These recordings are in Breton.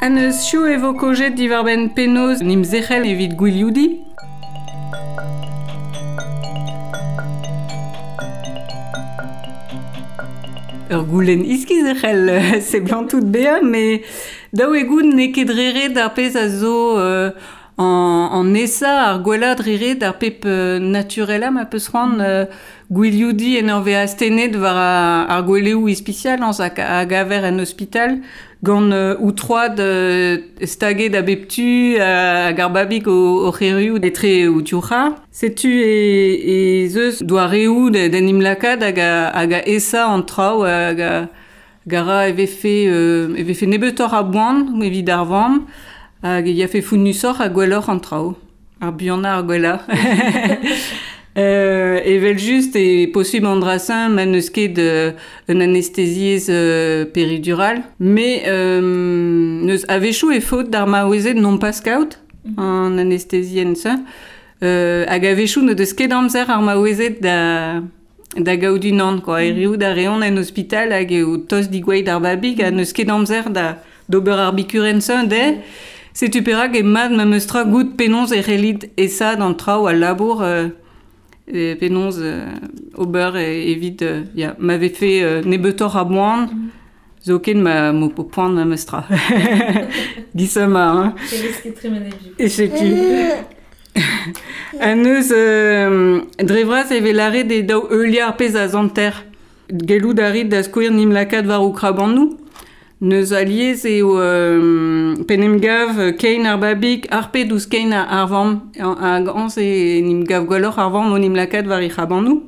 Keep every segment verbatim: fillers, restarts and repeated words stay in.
An eus chou e vo kojet diwar-benn penaos n'im zerc'hel evit gwilioudi. Ur goulenn iskiz e c'hell seblantout bezañ, met daou e gout n'eo ket dreret ar pezh a zo euh, an, an esa ar gwellañ dreret ar pep euh, naturelañ ma peus c'hoant euh, gwilioudi en ur vezañ astennet war ar, ar gweleoù ispisial añs hag a gaver en ospital gant euh, ou troad euh, staget a bep tu hag ar babig o, o c'herioù etre ou tiouc'ha. Setu e, e zeus doareoù d'en im lakaat hag a, hag a esa an traoù hag a gara e vefe, euh, e vefe nebeutoc'h a boan evit ar vamm hag e yafe founnusoc'h ha gwelloc'h an traoù. Ar buanañ ar gwellañ. Euh, evel just e posubl an dra-se ma n'eus ket euh, un anesthésiez euh, péridurale, mais euh, neus a-wechoù e faot d'ar maouezed non pas kaout an anesthésienn-se. Euh, hag a-wechoù n'o deus ket amzer ar maouezed da, da gaout unan, quoi. Erioù da reont en ospital hag eo tost digoueit ar babig ha n'eus ket amzer da d'ober ar bikurenn-se de. Setu perak e mat ma meus tra gout penaos e c'hellit esa d'an traoù al labour euh, e penaos euh, ober e, evit euh, ya, ma vefe euh, nebeutoc'h a boan, zoken ma mo po poan ma meus tra. Gisama, hein. E setu. An eus euh, dre vras e vez lâret e daou heuliañ ar pezh a zanter. Gellout a rit da skouer n'im lakaat war o krabannoù. Neus alies eo euh, pen em gav kein ar babig ar pet ouzh kein ar vamm. Hag añs e n'im gav gwelloc'h ar vamm o n'im lakaat war he c'hrabannoù.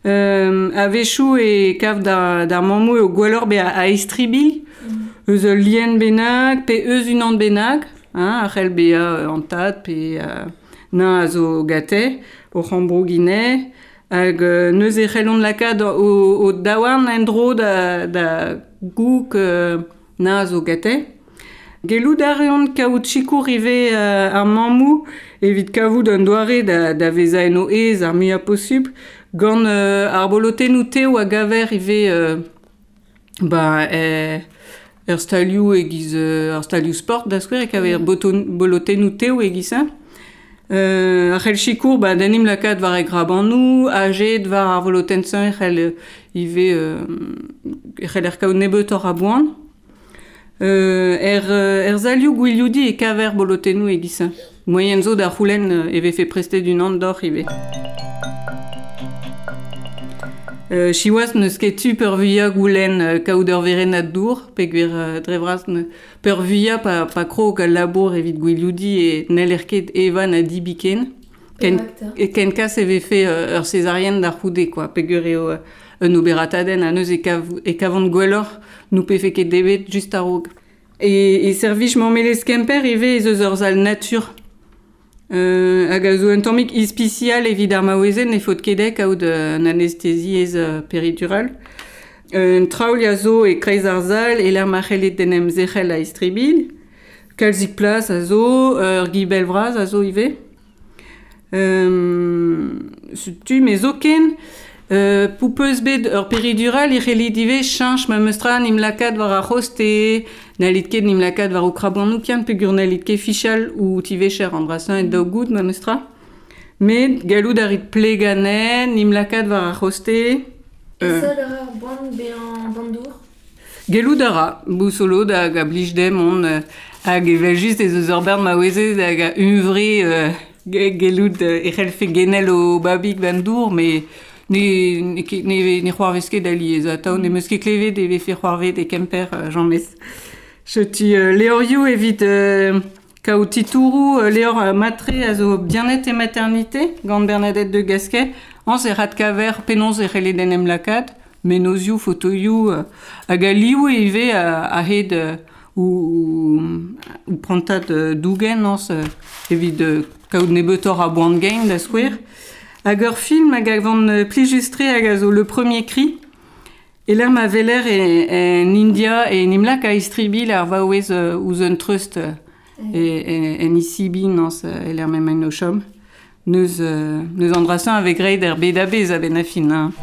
Euh, a-wechoù e kav d'ar, d'ar mammoù eo gwelloc'h bezañ a-istribilh, eus ul lien bennak pe eus unan bennak, hein, a c'hell bezañ an tad pe euh, nañ a zo gate, o c'hambrougine, hag euh, neuze e c'hellont lakaat o, o daouarn en-dro da, da gouk euh, nañ a zo gate. Gellout a reont kaout sikour ivez euh, ar mammoù evit kavout un doare da, da vezañ en o aez ar muiañ posubl gant euh, ar bolotennoù tev a gaver ivez euh, ba, eh, ur stalioù e-giz euh, ar stalioù sport da skouer e kaver boton, bolotennoù tev e-giz-se. Euh, ar c'hell sikour ba, d'en em lakaat war e grabannoù, ajet war ar volotenn-se e c'hell ivez euh, e c'heller kaout nebeutoc'h a boan. Euh, er, er zalioù gwilioudi e kaver bolotennoù e-giz-se. Moaien zo da c'houlenn e vefe prestet unan d'oc'h ivez. Euh, siwazh n'eus ket tu peurvuiañ goulenn euh, kaout ur werennad dour, peogwir euh, dre vras ne peurvuiañ pa, pa krog al labour evit gwilioudi e n'heller ket evañ na dibiken. Ken, e ken kas e vefe euh, ur césarienne d'ar c'houde, quoi, peogwir eo euh, un oberatadenn ha neuze e, kav, e kavont gwelloc'h nou pefe ket debet just a-raok. E, e servij mammelezh Kemper ivez ez eus ur sal natur. Euh, hag a zo un tammig ispisial evit ar maouezed ne faot ket kaout un anesthésiez euh, péridurale. Un traoù a zo e kreiz ar sal e lec'h ma c'hellit d'en em zerc'hel a-istribilh. Kalzik plas a zo, ur gibell vras a zo ivez. Euh, setu me zoken, euh, poupeus bet ur péridural e c'hellit ivez cheñch ma meus tra n'im lakaat war ar c'hoste, n'hallit ket n'im lakaat war o krabannoù kian peogwir n'hallit ket fichal ou tivecher an dra-se e daou gout ma meus tra. Met gallout a rit pleganen, n'im lakaat war ar c'hoste. Euh, E ar boan bezañ bandour? Gellout a ra, bousolo hag a blij dem on euh, hag evel just ez eus ur bern maouezed hag a hunvre euh, gellout e c'hellfe genel o babig bandour, mais ne, ne, ne, ne c'hoarvez ket alies atav, ne meus ket klevet e vefe c'hoarvet e Kemper euh, james. Setu euh, levrioù evit euh, kaout titouroù euh, levr euh, matre a zo bien-être et maternité gant Bernadette de Gasquet, añs e rat kaver penaos e c'hellet en em lakaat, menozioù, fotoioù, euh, hag a liv ivez a, a-hed euh, ou, ou prantad euh, dougen añs euh, evit euh, kaout nebeutoc'h a boan gein da skouer. Hag ur film hag a vant plijus-tre hag a zo Le Premier Cri. E lec'h ma weler e, en India e n'im lak a istribil ar vaouez euh, ouzh un treust euh, e, e, en isibi nañs e lec'h m'emaint o chom. Neus, euh, neus an dra-se a vez graet er bed a-bezh a-benn ar fin, hein.